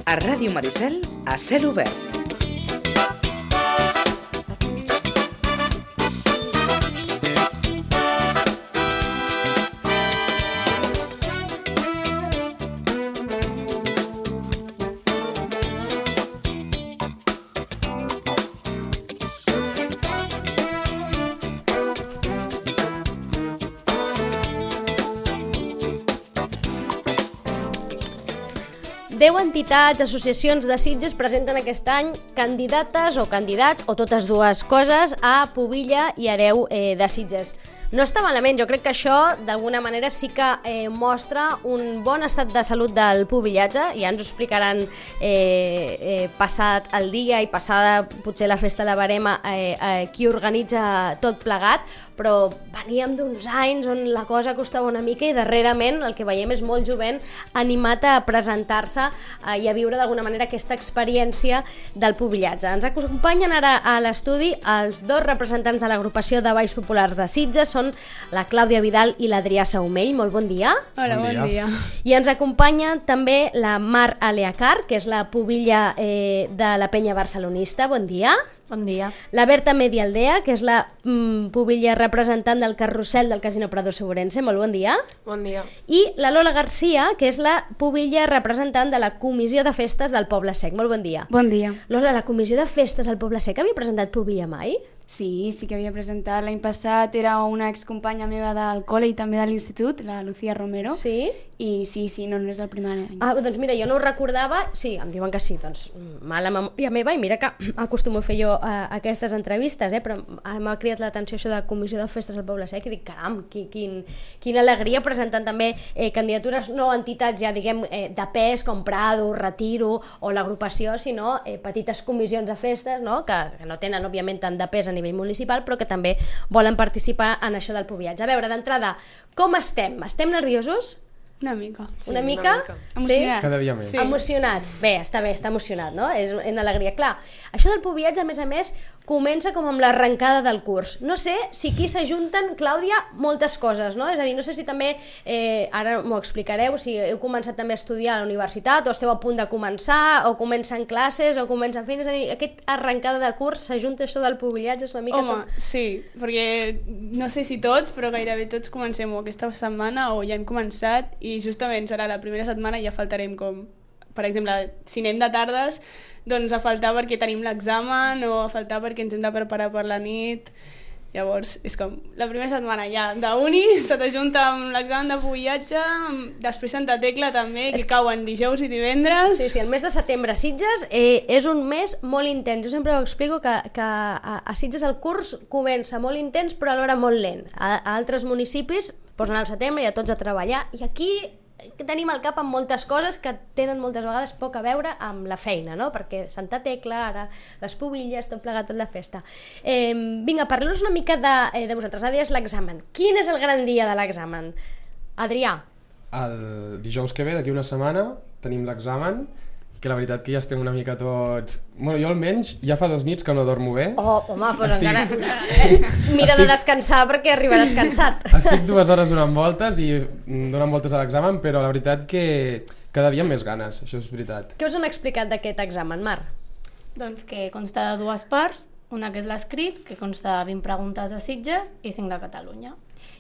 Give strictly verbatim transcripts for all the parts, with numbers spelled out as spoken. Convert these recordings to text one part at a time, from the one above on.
A Ràdio Maricel, a cel obert. Deu entitats, associacions de Sitges presenten aquest any candidates o candidats, o totes dues coses, a Pubilla i Hereu eh, de Sitges. No està malament, jo crec que això d'alguna manera sí que eh, mostra un bon estat de salut del pubillatge. Ja ens ho explicaran eh, eh, passat el dia i passada potser la festa la barema eh, eh, qui organitza tot plegat, però veníem d'uns anys on la cosa costava una mica i darrerament el que veiem és molt jovent animat a presentar-se eh, i a viure d'alguna manera aquesta experiència del pubillatge. Ens acompanyen ara a l'estudi els dos representants de l'agrupació de balls populars de Sitges, són la Clàudia Vidal i l'Adrià Saumell. Molt bon dia. Hola, bon, bon dia. I ens acompanya també la Mar Aleacar, que és la pubilla eh, de la penya barcelonista. Bon dia. Bon dia. La Berta Medialdea, que és la mm, pubilla representant del carrusel del Casino Prado Segurense. Molt bon dia. Bon dia. I la Lola Garcia, que és la pubilla representant de la Comissió de Festes del Poble Sec. Molt bon dia. Bon dia. Lola, la Comissió de Festes del Poble Sec havia presentat pubilla mai? Sí, sí que havia presentat. L'any passat era una excompanya meva del col·le i també de l'institut, la Lucía Romero. Sí? I sí, sí, no, no és el primer any. Ah, doncs mira, jo no ho recordava. Sí, em diuen que sí, doncs mala memòria meva, i mira que acostumo a fer jo uh, aquestes entrevistes, eh? Però ara m'ha cridat l'atenció això de Comissió de Festes del Poble Sec i dic, caram, quin, quin, quina alegria, presentant també eh, candidatures, no entitats ja diguem eh, de pes com Prado, Retiro o l'agrupació, sinó eh, petites comissions de festes, no? que, que no tenen òbviament tant de pes a nivell municipal, però que també volen participar en això del pubillatge. A veure, d'entrada, com estem? Estem nerviosos? Una mica. Sí, una mica? Una mica. Emocionats. Cada dia més. Sí. Emocionats. Bé, està bé, està emocionat, no? És una alegria. Clar, això del pubillatge, a més a més, comença com amb l'arrencada del curs. No sé si aquí s'ajunten, Clàudia, moltes coses, no? És a dir, no sé si també, eh, ara m'ho explicareu, si heu començat també a estudiar a la universitat, o esteu a punt de començar, o comencen classes, o comencen feines, és a dir, aquest arrencada de curs s'ajunta això del pubillatge, és una mica... Home, tot... sí, perquè no sé si tots, però gairebé tots comencem o aquesta setmana o ja hem començat i justament serà la primera setmana i ja faltarem com, per exemple, si anem de tardes, doncs a faltar perquè tenim l'examen o a faltar perquè ens hem de preparar per la nit. Llavors, és com, la primera setmana ja d'uni se t'ajunta amb l'examen de pubillatge, després Santa Tecla també, que cauen dijous i divendres. Sí, sí, el mes de setembre a Sitges eh, és un mes molt intens. Jo sempre ho explico que, que a, a Sitges el curs comença molt intens però alhora molt lent. A, a altres municipis posen al setembre i a tots a treballar, i aquí tenim al cap amb moltes coses que tenen moltes vegades poc a veure amb la feina, no? Perquè Santa Tecla, ara les pubilles, tot plegat, tot de festa. Eh, vinga, parleu-nos una mica de, eh, de vosaltres. Ara deies l'examen. Quin és el gran dia de l'examen? Adrià. El dijous que ve, d'aquí una setmana, tenim l'examen, que la veritat que ja estem una mica tots... Bueno, jo almenys ja fa dos nits que no dormo bé. Oh, home, doncs Estic... encara... Mira Estic... de descansar perquè arribaràs cansat. Estic dues hores donant voltes i donant voltes a l'examen, però la veritat que cada dia amb més ganes, això és veritat. Què us han explicat d'aquest examen, Mar? Doncs que consta de dues parts, una que és l'escrit, que consta de vint preguntes de Sitges i cinc de Catalunya.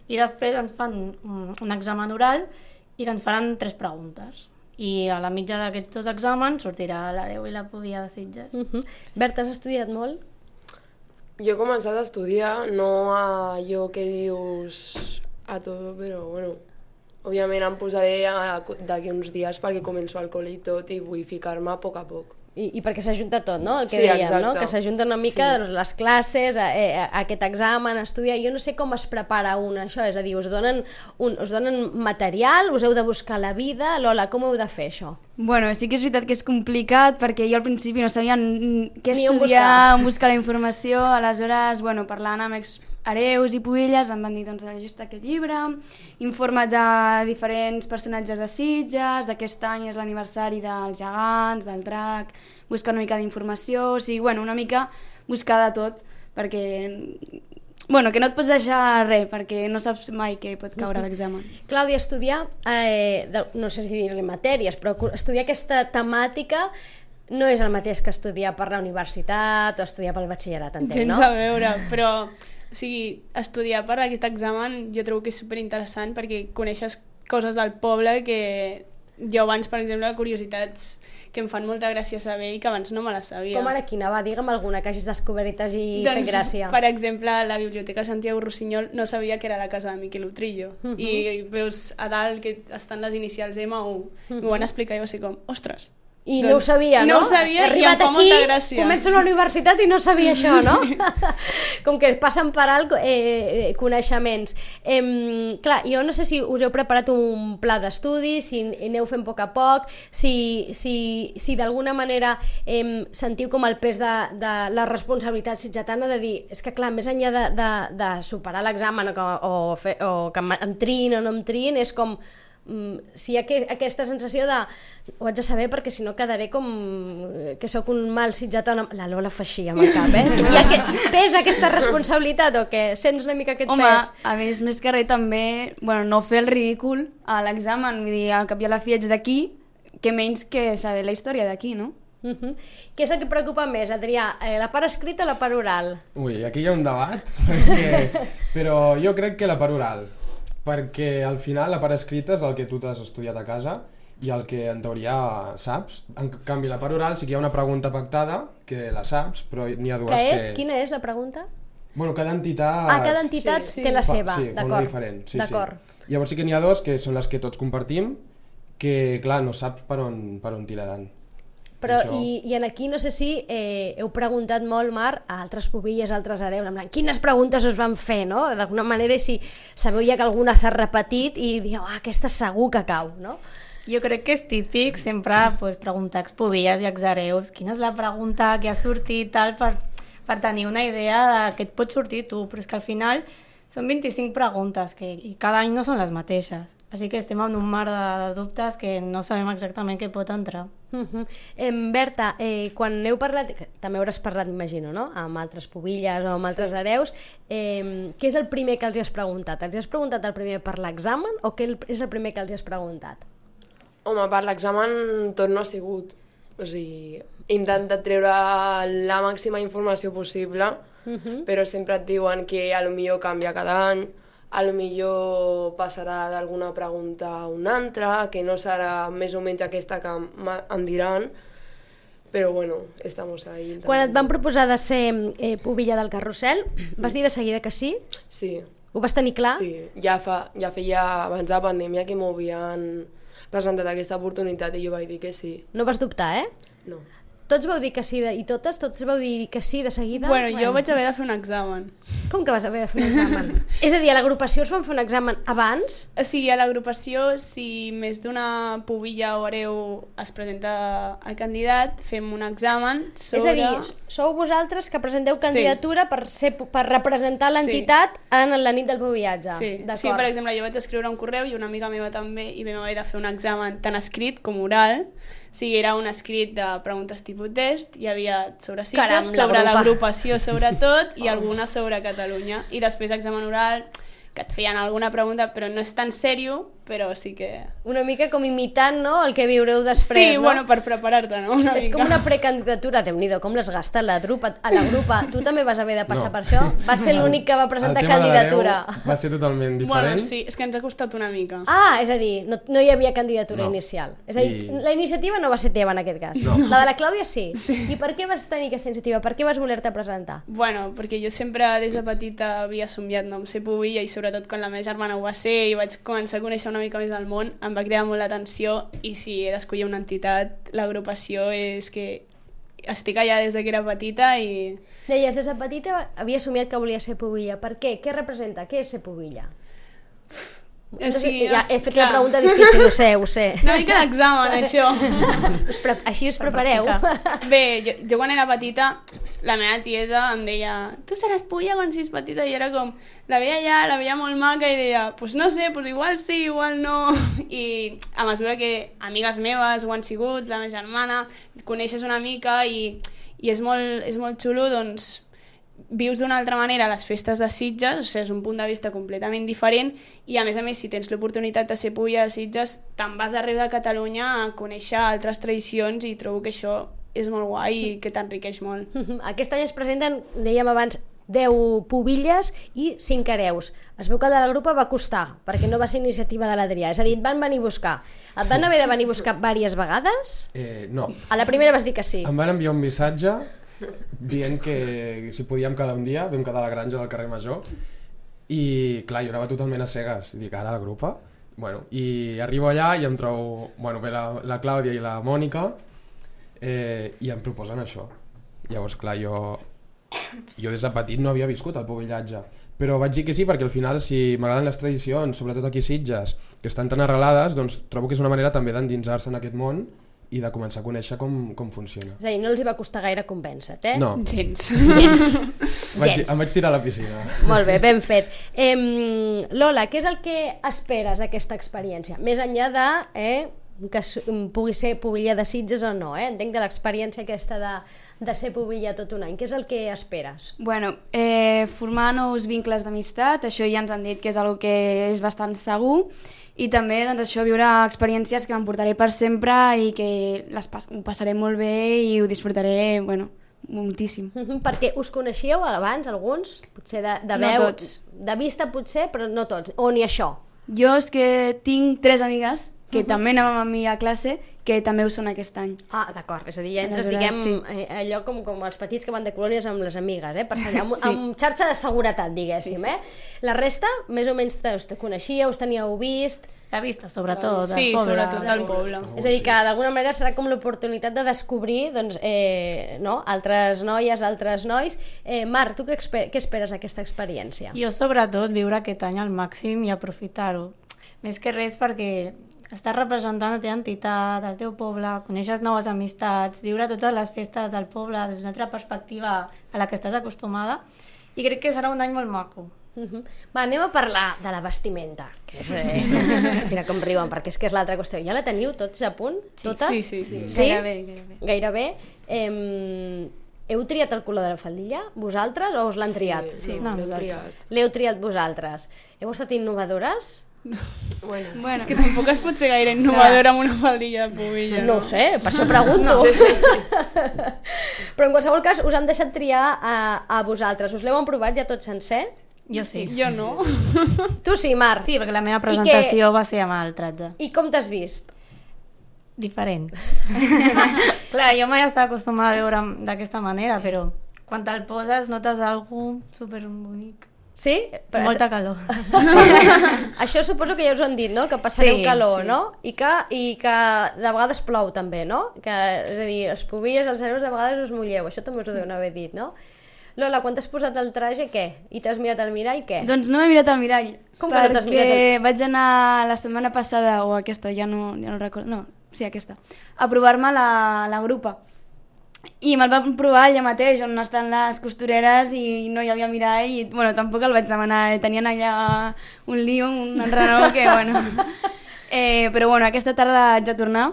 I després ens fan un, un examen oral i que ens faran tres preguntes. I a la mitja d'aquests dos exàmens sortirà l'Hereu i la Pubilla de Sitges. Uh -huh. Berta, has estudiat molt? Jo he començat a estudiar, no a allò que dius a tot, però bueno, òbviament em posaré d'aquí uns dies perquè començo al col·le i tot i vull ficar-me a poc a poc. I, i perquè s'ajunta tot, no? El que Sí, dèiem, exacte. no? Que s'ajunta una mica Sí. doncs, les classes, eh, eh, aquest examen, estudiar. Jo no sé com es prepara un això, és a dir, us donen, un, us donen material, us heu de buscar la vida. Lola, com heu de fer això? Bueno, sí que és veritat que és complicat perquè jo al principi no sabia què Ni on estudiar, on buscar la informació, aleshores, bueno, parlant amb ex hereus i pubilles em van dir, doncs, llegeix aquest llibre, informa't de diferents personatges de Sitges, aquest any és l'aniversari dels gegants, del drac, busca una mica d'informació, o sigui, bueno, una mica buscar de tot, perquè Bueno, que no et pots deixar res, perquè no saps mai què pot caure a l'examen. Clàudia, estudiar, eh, de, no sé si dir-li matèries, però estudiar aquesta temàtica no és el mateix que estudiar per la universitat o estudiar pel batxillerat, entenc, Gens no? a veure, però o sigui, estudiar per aquest examen jo trobo que és superinteressant perquè coneixes coses del poble que jo abans, per exemple, curiositats que em fan molta gràcia saber i que abans no me les sabia. Com ara quina? Va, digue'm alguna que hagis descobert i t'hagi doncs, fet gràcia. Per exemple, la Biblioteca Santiago Rossinyol no sabia que era la casa de Miquel Utrillo. Uh -huh. I veus a dalt que estan les inicials ema u. Uh -huh. M'ho van explicar i va ser com, ostres. I doncs, no ho sabia, no? No ho sabia i em fa aquí, molta gràcia. Començo la universitat i no sabia això, no? Com que passen per alt eh, eh, coneixements. Eh, clar, jo no sé si us heu preparat un pla d'estudi, si aneu fent a poc a poc, si, si, si d'alguna manera eh, sentiu com el pes de, de la responsabilitat sitgetana de dir, és que clar, més enllà de, de, de superar l'examen o, que- o, fer, o que em, em triïn o no em triïn, és com mm, si hi ha que, aquesta sensació de ho haig de saber perquè si no quedaré com que sóc un mal sitgetà. La Lola fa així amb el cap, eh? Hi ha que, pesa aquesta responsabilitat o què? Sents una mica aquest Home, pes? a més, més que res també, bueno, no fer el ridícul a l'examen, vull dir, al cap i a la fi ets d'aquí, que menys que saber la història d'aquí, no? Uh -huh. Què és el que preocupa més, Adrià? Eh, la part escrita o la part oral? Ui, aquí hi ha un debat, perquè... però jo crec que la part oral, perquè al final la part escrita és el que tu t'has estudiat a casa i el que en teoria saps. En canvi, la part oral sí que hi ha una pregunta pactada, que la saps, però n'hi ha dues Què que... és? Quina és la pregunta? Bueno, cada entitat... Ah, cada entitat sí, sí. té la fa- seva, sí, fa una d'acord. diferent. Sí, D'acord. sí. Llavors sí que n'hi ha dos que són les que tots compartim, que clar, no saps per on, per on tiraran. Però, Això- i, i en aquí no sé si eh, heu preguntat molt, Mar, a altres pubilles, a altres hereus, en plan, quines preguntes us van fer, no? D'alguna manera, si sabeu ja que alguna s'ha repetit i dieu, ah, aquesta segur que cau, no? Jo crec que és típic sempre pues, preguntar a expubilles i exhereus quina és la pregunta que ha sortit tal, per, per tenir una idea de què et pot sortir tu, però és que al final són vint-i-cinc preguntes que, i cada any no són les mateixes, així que estem en un mar de, de dubtes que no sabem exactament què pot entrar. Uh -huh. eh, Berta, eh, quan heu parlat, que també hauràs parlat, m'imagino, no? Amb altres pubilles o amb altres hereus, eh, què és el primer que els hi has preguntat? Els hi has preguntat el primer per l'examen o què és el primer que els hi has preguntat? Home, per l'examen tot no ha sigut. O sigui, he intentat treure la màxima informació possible, Uh -huh. però sempre et diuen que a lo millor canvia cada any, a lo millor passarà d'alguna pregunta a una altra, que no serà més o menys aquesta que em- em diran, però bueno, estamos ahí. Quan et van proposar de ser eh, pubilla del carrusel, vas dir de seguida que sí? Sí, Ho vas tenir clar? sí. Ja, fa, ja feia abans de la pandèmia que m'ho havien presentat aquesta oportunitat i jo vaig dir que sí. No vas dubtar, eh? No. Tots vau dir que sí, de, i totes, tots vau dir que sí de seguida? Bueno, jo vaig haver de fer un examen. Com que vas haver de fer un examen? És a dir, a l'agrupació us van fer un examen abans? O sigui, a l'agrupació, si més d'una pubilla o hereu es presenta a candidat, fem un examen sobre... És a dir, sou vosaltres que presenteu candidatura per, ser, per representar l'entitat Sí. en la nit del pubillatge. Sí. D'acord. sí, per exemple, jo vaig escriure un correu i una amiga meva també i vam haver de fer un examen tant escrit com oral. O sigui, era un escrit de preguntes tipus test, hi havia sobre Sitges, Caram, sobre l'agrupa. l'agrupació sobretot i alguna sobre Catalunya. I després examen oral, que et feien alguna pregunta, però no és tan sèrio, però sí que... Una mica com imitant, no?, el que viureu després, sí, no? bueno, per preparar-te, no? Una És mica. com una precandidatura, Déu-n'hi-do, com l'has gastat la grupa, a la grupa. Tu també vas haver de passar No. per això? Vas ser l'únic que va presentar El tema de candidatura. l'hereu va ser totalment diferent. Bueno, sí, és que ens ha costat una mica. Ah, és a dir, no, no hi havia candidatura No. inicial. És a dir, I- la iniciativa no va ser teva en aquest cas. No. La de la Clàudia sí. Sí. I per què vas tenir aquesta iniciativa? Per què vas voler-te presentar? Bueno, perquè jo sempre des de petita havia somiat no, amb ser pubilla i sobretot quan la meva germana ho va ser i vaig començar a conèixer una mica més del món, em va cridar molt l'atenció i si he d'escollir una entitat, l'agrupació és que estic allà des de que era petita i... Deies, des de petita havia somiat que volia ser pubilla. Per què? Què representa? Què és ser pubilla? O sigui, ja, he fet clar. la pregunta difícil, ho sé, ho sé. Una mica d'examen, això. Us pre Així us prepareu. Bé, jo, jo quan era petita, la meva tieta em deia tu seràs pulla quan siguis petita, i era com la veia allà, la veia molt maca i deia pues no sé, pues igual sí, igual no, i a mesura que amigues meves ho han sigut, la meva germana, coneixes una mica i, i és, molt, és molt xulo, doncs vius d'una altra manera les festes de Sitges, o sigui, és un punt de vista completament diferent i a més a més si tens l'oportunitat de ser pubilla de Sitges te'n vas arreu de Catalunya a conèixer altres tradicions i trobo que això és molt guai i que t'enriqueix molt. Aquest any es presenten, dèiem abans, deu pubilles i cinc hereus. Es veu que de la grupa va costar, perquè no va ser iniciativa de l'Adrià, és a dir, et van venir a buscar. Et van haver de venir a buscar diverses vegades? Eh, no. A la primera vas dir que sí. Em van enviar un missatge dient que si podíem quedar un dia, vam quedar a la granja del carrer Major i clar, jo anava totalment a cegues i dic, ara a la grupa? Bueno, i arribo allà i em trobo, bueno, ve la, la Clàudia i la Mònica eh, i em proposen això. Llavors, clar, jo jo des de petit no havia viscut el pubillatge, però vaig dir que sí perquè al final si m'agraden les tradicions, sobretot aquí a Sitges, que estan tan arrelades, doncs trobo que és una manera també d'endinsar-se en aquest món i de començar a conèixer com, com funciona. És a dir, no els hi va costar gaire convèncer-te, eh? No. Gens. Vaig, em vaig tirar a la piscina. Molt bé, ben fet. Eh, Lola, què és el que esperes d'aquesta experiència? Més enllà de eh, que pugui ser pubilla de Sitges o no, eh? Entenc de l'experiència aquesta de, de ser pubilla tot un any. Què és el que esperes? Bueno, eh, formar nous vincles d'amistat, això ja ens han dit que és una que és bastant segur, i també doncs, això, viure experiències que m'emportaré per sempre i que les pas ho passaré molt bé i ho disfrutaré, bueno, moltíssim. Mm-hmm, perquè us coneixíeu abans, alguns? Potser de, de No veu, tots. de vista potser, però no tots. O ni això? Jo és que tinc tres amigues que uh-huh. també anàvem amb mi a classe, que també ho són aquest any. Ah, d'acord, és a dir, ja entres, Aleshores, diguem, sí. eh, allò com, com els petits que van de colònies amb les amigues, eh? Per ser, amb, Sí. amb xarxa de seguretat, diguéssim, Sí, sí. eh? La resta, més o menys, te, us te coneixíeu, us teníeu vist... La vista, sobretot, Sí, del poble. sobretot del poble. És a dir, que d'alguna manera serà com l'oportunitat de descobrir doncs, eh, no? altres noies, altres nois. Eh, Marc, tu què, exper què esperes d'aquesta experiència? Jo sobretot viure aquest any al màxim i aprofitar-ho. Més que res perquè estàs representant la teva entitat, el teu poble, coneixes noves amistats, viure totes les festes del poble des d'una altra perspectiva a la que estàs acostumada i crec que serà un any molt maco. Uh-huh. Va, anem a parlar de la vestimenta, que és, eh, mira com riuen, perquè és que és l'altra qüestió. Ja la teniu tots a punt? Totes? Sí, sí, sí. Sí? Gairebé, gairebé. Gairebé. Eh, heu triat el color de la faldilla, vosaltres, o us l'han triat? Sí, No, l'hem nosaltres. triat. L'heu triat vosaltres. Heu estat innovadores? Bueno, Bueno, És que tampoc es pot ser gaire innovadora amb una faldilla de pubilla, No no? ho sé, per això pregunto. Però en qualsevol cas us han deixat triar a, a vosaltres. Us l'heu provat ja tot sencer? Jo sí. Jo no. Tu sí, Marc. Sí, perquè la meva presentació va ser amb el tratge. I com t'has vist? Diferent. Clar, jo mai estava acostumada a veure'm d'aquesta manera, però quan te'l poses notes algo superbonic. Sí? Però Molta calor. això suposo que ja us ho han dit, no? Que passareu Sí, calor, sí. no? I que, I que de vegades plou també, no? Que, és a dir, les pubilles, els hereus, de vegades us mulleu. Això també us ho deuen haver dit, no? Lola, quan t'has posat el traje, què? I t'has mirat al mirall, què? doncs no m'he mirat al mirall. Com que no t'has mirat al- Perquè vaig anar la setmana passada, o aquesta, ja no, ja no recordo, no, sí, aquesta, a provar-me la, la grupa. I me'l vam provar allà mateix, on estan les costureres i no hi havia mirall i, bueno, tampoc el vaig demanar, tenien allà un lío, un enrenou que, bueno... Eh, però, bueno, aquesta tarda haig de tornar,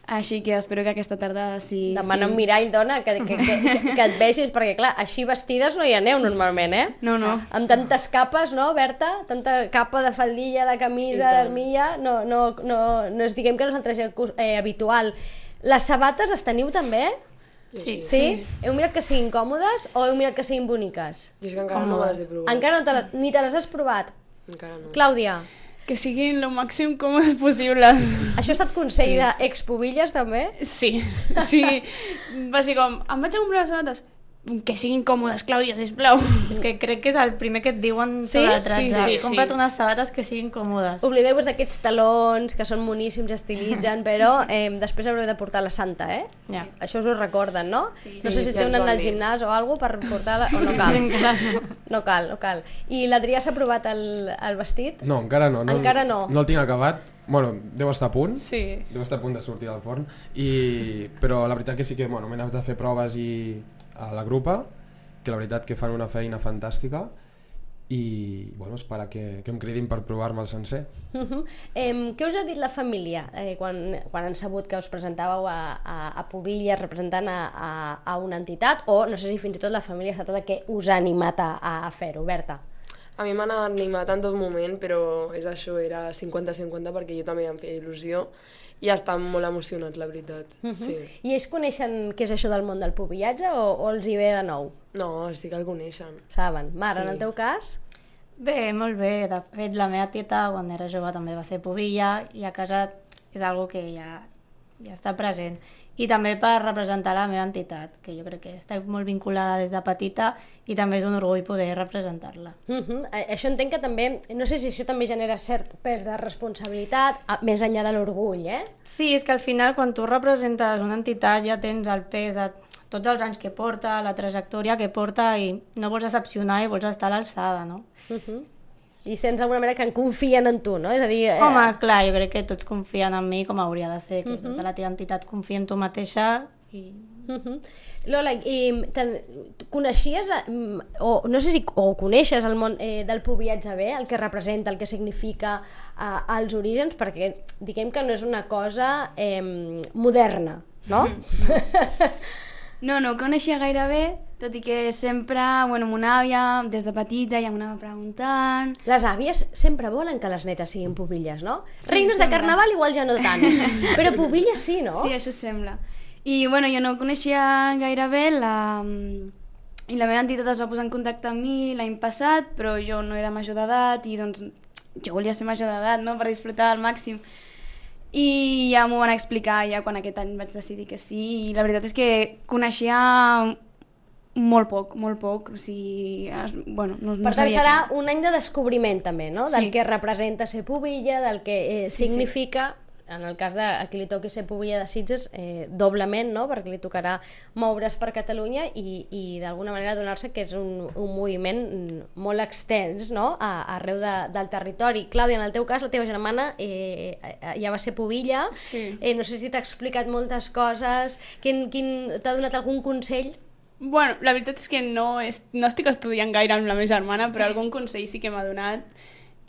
així que espero que aquesta tarda sí... Demana sí. un mirall, dona, que, que, que, que et vegis, perquè clar, així vestides no hi aneu normalment, eh? No, no. Amb tantes capes, no, Berta? Tanta capa de faldilla, de camisa, d'armilla, no, no, no, no és, diguem que no és el traje eh, habitual. Les sabates les teniu també? Sí. Sí? Heu mirat que siguin còmodes o heu mirat que siguin boniques? jo és que encara no me les he provat. Encara no te la, ni te les has provat? Encara no. Clàudia, Que siguin el màxim còmodes possibles. això ha estat consell d'expubilles també? Sí, sí. Va ser com, em vaig a comprar les sabates. Que siguin còmodes, Clàudia, sisplau. És que crec que és el primer que et diuen Sí? sobre el traje. Sí, sí, sí. Compra't unes sabates que siguin còmodes. Oblideu-vos d'aquests talons que són moníssims, estilitzen, però eh, després haureu de portar la santa, eh? Ja. Això us ho recorden, no? Sí. No sé si Sí, esteu ja ens ho anant han al dit. gimnàs o alguna per portar-la, o no cal. Encara no. No cal, no cal. I l'Adrià s'ha provat el, el vestit? No, encara no. no. Encara no. No el tinc acabat. Bueno, deu estar a punt. Sí. Deu estar a punt de sortir del forn. I... Però la veritat que sí que bueno, m'he anat a fer proves i... a la grupa, que la veritat que fan una feina fantàstica i bueno, esperar que, que em cridin per provar-me el sencer. Uh -huh. eh, què us ha dit la família eh, quan, quan han sabut que us presentàveu a, a, a Pubillas representant a, a, a una entitat, o no sé si fins i tot la família ha estat la que us ha animat a, a fer-ho, Berta? A mi m'han animat en tot moment, però és això, era cinquanta cinquanta perquè jo també em feia il·lusió i estan molt emocionats, la veritat. Uh -huh. Sí. I ells coneixen què és això del món del pubillatge o, o els hi ve de nou? No, sí que el coneixen. Saben. Mar, Sí. en el teu cas? Bé, molt bé. De fet, la meva tieta, quan era jove, també va ser pubilla i a casa és algo que ja, ja està present. I també per representar la meva entitat, que jo crec que està molt vinculada des de petita i també és un orgull poder representar-la. Uh -huh. Això entenc que també, no sé si això també genera cert pes de responsabilitat, a- més enllà de l'orgull, eh? Sí, és que al final quan tu representes una entitat ja tens el pes de tots els anys que porta, la trajectòria que porta i no vols decepcionar i vols estar a l'alçada, no? Uh -huh. I sents d'alguna manera que en confien en tu, no? És a dir... Eh... Home, clar, jo crec que tots confien en mi com hauria de ser, que uh -huh. tota la teva entitat confia en tu mateixa i... Uh -huh. Lola, i te, coneixies, eh, o no sé si o coneixes el món eh, del pubillatge bé, el que representa, el que significa eh, els orígens, perquè diguem que no és una cosa eh, moderna, no? No, no ho coneixia gaire bé, tot i que sempre, bueno, mon àvia, des de petita, ja m'anava preguntant... Les àvies sempre volen que les netes siguin pubilles, no? Sí, Reines de sembla. carnaval igual ja no tant, però pubilles sí, no? Sí, això sembla. I, bueno, jo no ho coneixia gaire bé, la... i la meva entitat es va posar en contacte amb mi l'any passat, però jo no era major d'edat i, doncs, jo volia ser major d'edat, no?, per disfrutar al màxim. I ja m'ho van explicar ja quan aquest any vaig decidir que sí, i la veritat és que coneixia molt poc, molt poc, o sigui, es, bueno, no, no Per tant, sabia serà que... un any de descobriment també, no? Del Sí. que representa ser pubilla, del que eh, Sí, sí. significa, en el cas de a qui li toqui ser pubilla de Sitges, eh, doblement, no? Perquè li tocarà moure's per Catalunya i, i d'alguna manera donar-se que és un, un moviment molt extens, no? A, arreu de, del territori. Clàudia, en el teu cas, la teva germana eh, ja va ser pubilla, Sí. eh, no sé si t'ha explicat moltes coses, quin, quin, t'ha donat algun consell? Bueno, la veritat és que no, és, no estic estudiant gaire amb la meva germana, però algun consell sí que m'ha donat.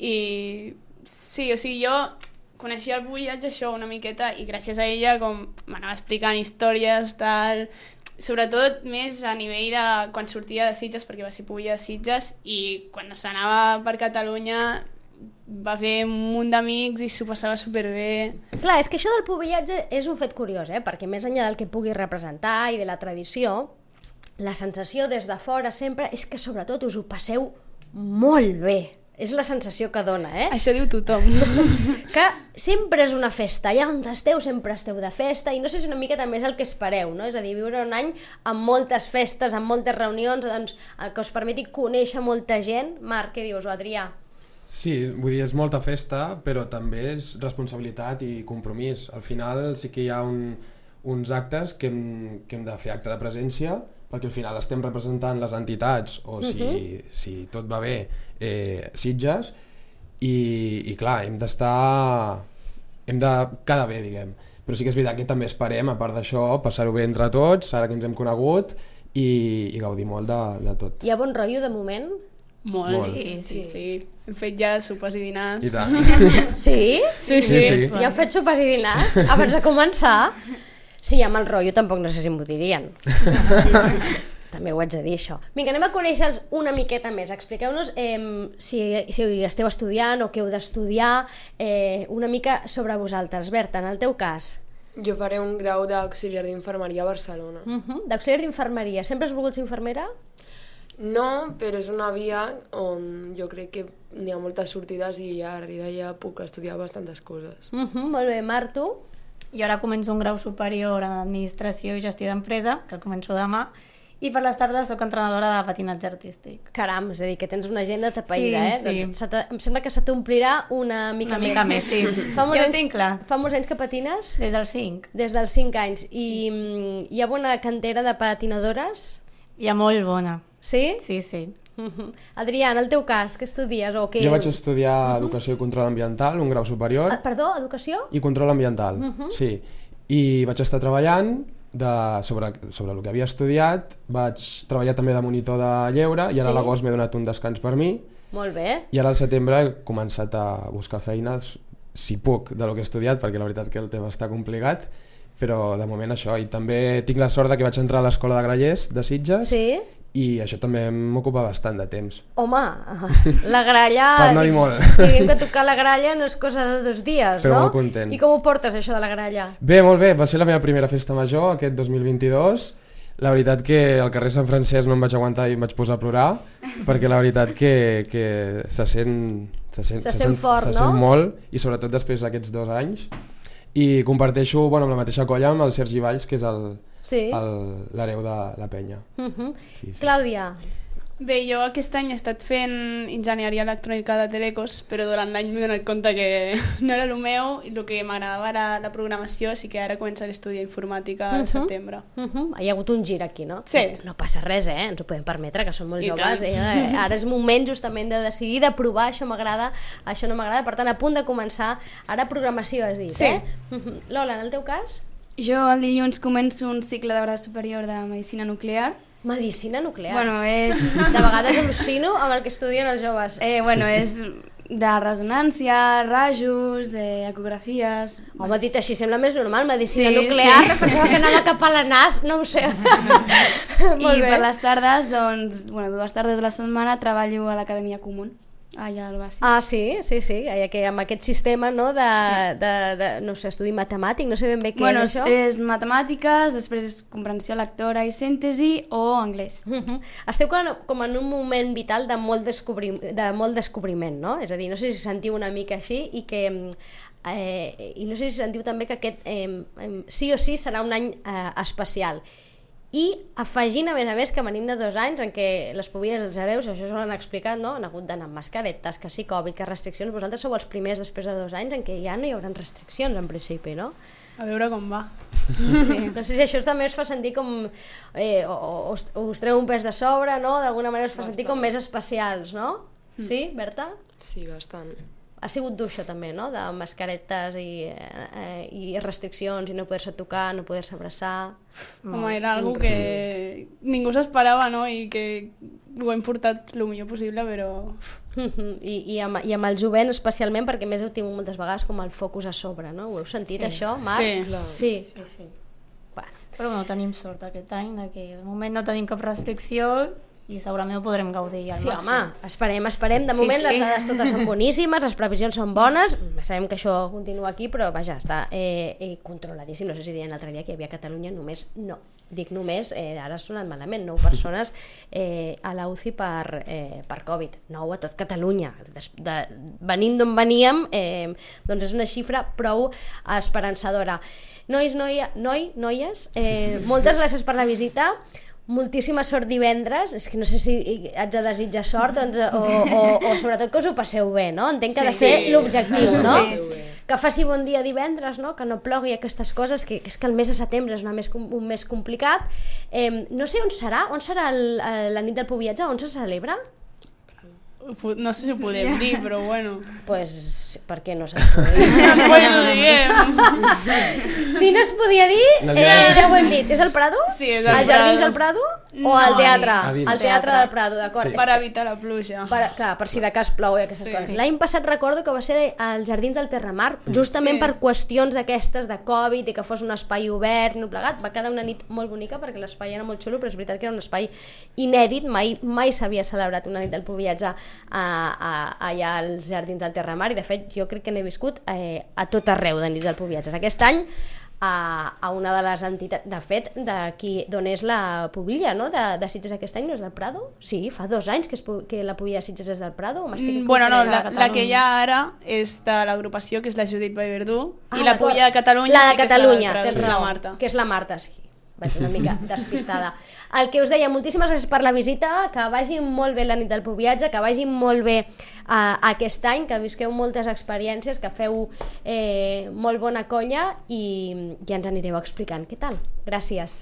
I sí, o sigui, jo coneixia el pubillatge, això, una miqueta, i gràcies a ella com m'anava explicant històries, tal... Sobretot més a nivell de quan sortia de Sitges, perquè va ser pubilla de Sitges, i quan s'anava per Catalunya va fer un munt d'amics i s'ho passava superbé. Clar, és que això del pubillatge és un fet curiós, eh? Perquè més enllà del que pugui representar i de la tradició, la sensació des de fora sempre és que sobretot us ho passeu molt bé. És la sensació que dona, eh? Això diu tothom. Que sempre és una festa, allà on esteu sempre esteu de festa, i no sé si una mica també és el que espereu, no? És a dir, viure un any amb moltes festes, amb moltes reunions, doncs, que us permeti conèixer molta gent. Marc, què dius, o Adrià? Sí, vull dir, és molta festa, però també és responsabilitat i compromís. Al final sí que hi ha un, uns actes que hem, que hem de fer acte de presència, perquè al final estem representant les entitats, o si, uh-huh. si tot va bé, eh, Sitges, i, i clar, hem d'estar... hem de quedar bé, diguem. Però sí que és veritat que també esperem, a part d'això, passar-ho bé entre tots, ara que ens hem conegut, i, i gaudir molt de, de tot. Hi ha bon rotllo de moment? Molt. Molt. Sí, sí, sí. Hem fet ja sopars i dinars. I tant. Sí? Sí, sí. Sí, sí. Ja heu fet sopars i dinars abans de començar? Sí, amb el rotllo tampoc no sé si m'ho dirien. També ho haig de dir, això. Vinga, anem a conèixer-los una miqueta més. Expliqueu-nos eh, si, si esteu estudiant o què heu d'estudiar, eh, una mica sobre vosaltres. Berta, en el teu cas. Jo faré un grau d'auxiliar d'infermeria a Barcelona. Uh -huh. D'auxiliar d'infermeria. Sempre has volgut ser infermera? No, però és una via on jo crec que n'hi ha moltes sortides i a darrere ja puc estudiar bastantes coses. Uh -huh. Molt bé, Marc, tu? Jo ara començo un grau superior en administració i gestió d'empresa, que el començo demà, i per les tardes soc entrenadora de patinatge artístic. Caram, és a dir, que tens una agenda tapaïda, Sí, eh? sí. Doncs se te, em sembla que se t'omplirà una mica Una més. mica més, sí. Fa molts Ja ho anys- tinc clar. Fa molts anys que patines? Des dels cinc. Des dels cinc anys. I sí. Hi ha bona cantera de patinadores? Hi ha molt bona. Sí? Sí, sí. Uh-huh. Adrià, en el teu cas, què estudies? O què... Jo vaig estudiar Educació i Control Ambiental, un grau superior, Ah, perdó, educació? i Control Ambiental, sí. I vaig estar treballant de, sobre, sobre el que havia estudiat, vaig treballar també de monitor de lleure, i ara Sí. a l'agost m'he donat un descans per mi, Molt bé. I ara al setembre he començat a buscar feines, si puc, de lo que he estudiat, perquè la veritat que el tema està complicat, però de moment això. I també tinc la sort de que vaig entrar a l'escola de Grallers, de Sitges, Sí? i això també m'ocupa bastant de temps. Home, la gralla... Per no dir molt. Diguem que tocar la gralla no és cosa de dos dies, Però no? molt content. I com ho portes, això de la gralla? Bé, molt bé, va ser la meva primera festa major aquest dos mil vint-i-dos. La veritat que al carrer Sant Francesc no em vaig aguantar i em vaig posar a plorar, perquè la veritat que, que se sent, se sent, Se sent fort, se no? sent molt, i sobretot després d'aquests dos anys. I comparteixo bueno, amb la mateixa colla amb el Sergi Valls, que és el, Sí. el- l'hereu de la penya. Uh -huh. Sí, sí. Clàudia, Bé, jo aquest any he estat fent enginyeria electrònica de telecos, però durant l'any m'he donat compte que no era el meu i el que m'agradava era la programació, així que ara començaré a estudiar informàtica al Mhm. setembre. uh -huh. hi ha hagut un gir aquí, no? Sí. No passa res, eh? Ens ho podem permetre, que som molt I joves. tant. Eh? Ara és moment justament de decidir, de provar, això m'agrada, això no m'agrada, per tant, a punt de començar. Ara programació, has dit, Sí. eh? Uh -huh. Lola, en el teu cas? Jo el dilluns començo un cicle de grau superior de Medicina Nuclear. Medicina nuclear. Bueno, és... De vegades al·lucino amb el que estudien els joves. Eh, bueno, és de resonància, rajos, eh, ecografies... Home, dit així, sembla més normal, medicina Sí, nuclear, sí. pensava que anava cap a la nas, no ho sé. Molt I bé. per les tardes, doncs, bueno, dues tardes a la setmana treballo a l'Acadèmia Común, allà al Basis. Ah, sí, sí, sí, ja que amb aquest sistema, no, de, sí. de, de, no sé, estudi matemàtic, no sé ben bé què Bueno, és això. és matemàtiques, després és comprensió lectora i síntesi o anglès. Uh -huh. Esteu com, com en un moment vital de molt, descobri, de molt descobriment, no? És a dir, no sé si sentiu una mica així i que... Eh, i no sé si sentiu també que aquest eh, eh, sí o sí serà un any eh, especial. I afegint, a més a més, que venim de dos anys en què les pobilles dels hereus, això s'ho han explicat, no? Han hagut d'anar amb mascaretes, que sí, Covid, que restriccions. Vosaltres sou els primers després de dos anys en què ja no hi haurà restriccions, en principi, no? A veure com va. Sí. No sé si això també us fa sentir com... Eh, o, o, us, us treu un pes de sobre, no? D'alguna manera us fa sentir com més especials, no? Sí, Berta? Sí, bastant. Ha sigut dur això també, no? De mascaretes i, eh, i restriccions i no poder-se tocar, no poder-se abraçar... Home, era algo que ningú s'esperava, no? I que ho hem portat el millor possible, però... I, i, amb, I amb el jovent especialment, perquè més heu tingut moltes vegades com el focus a sobre, no? Ho heu sentit, Sí. això, Marc? Sí. Clar. Sí. Sí, sí. Bueno. Però bueno, tenim sort aquest any, de que de moment no tenim cap restricció i segurament ho podrem gaudir al Sí, màxim. home, esperem, esperem. De Sí, moment sí. les dades totes són boníssimes, les previsions són bones, sabem que això continua aquí, però vaja, està eh, eh, controladíssim. No sé si deien l'altre dia que hi havia a Catalunya només, no, dic només, eh, ara ha sonat malament, nou persones eh, a la U C I per, eh, per Covid, nou a tot Catalunya. Des, de, venint d'on veníem, eh, doncs és una xifra prou esperançadora. Nois, noia, noi, noies, eh, moltes gràcies per la visita. Moltíssima sort divendres, és que no sé si haig de desitjar sort doncs, o, o, o sobretot que us ho passeu bé, no? Entenc que ha de ser Sí. l'objectiu, no? Sí, sí. Que faci bon dia divendres, no? Que no plogui aquestes coses, que, que és que el mes de setembre és una més, com- un mes complicat. Eh, no sé on serà, on serà el, el, la nit del Pubiatge, on se celebra? No sé si ho podem dir, però bueno. Pues, per què no se'ls podia dir? Pues ho diguem. Si no es podia dir, No, eh, ja ho hem dit. És el Prado? Sí, és Als el Jardins Prado. del Prado? O No, al teatre? a dins. Al teatre del Prado, d'acord. Sí. Per evitar la pluja. Per, clar, per si de cas plou i aquestes Sí. coses. L'any passat recordo que va ser als Jardins del Terramar, justament Sí. per qüestions d'aquestes de Covid i que fos un espai obert, no plegat. Va quedar una nit molt bonica perquè l'espai era molt xulo, però és veritat que era un espai inèdit, mai mai s'havia celebrat una nit del Pubiatge a, a, allà als Jardins del Terramar, i de fet jo crec que n'he viscut eh, a tot arreu de nits del Pubiatge. Aquest any a, a una de les entitats, de fet, d'aquí d'on és la Pubilla, no? De, de Sitges aquest any, no és del Prado? Sí, fa dos anys que, és, pu- que la Pubilla de Sitges és del Prado, o m'estic Mm, Bueno, no, confonent? la, la que hi ha ara és de l'agrupació, que és la Judit Vallverdú, Ah, i la d'acord. Pulla de Catalunya la de sí que Catalunya, és la, tens és la raó, Marta. que és la Marta, sí. Vaig una mica despistada. El que us deia, moltíssimes gràcies per la visita, que vagi molt bé la nit del Pubiatge, que vagi molt bé uh, aquest any, que visqueu moltes experiències, que feu eh, molt bona colla i ja ens anireu explicant què tal. Gràcies.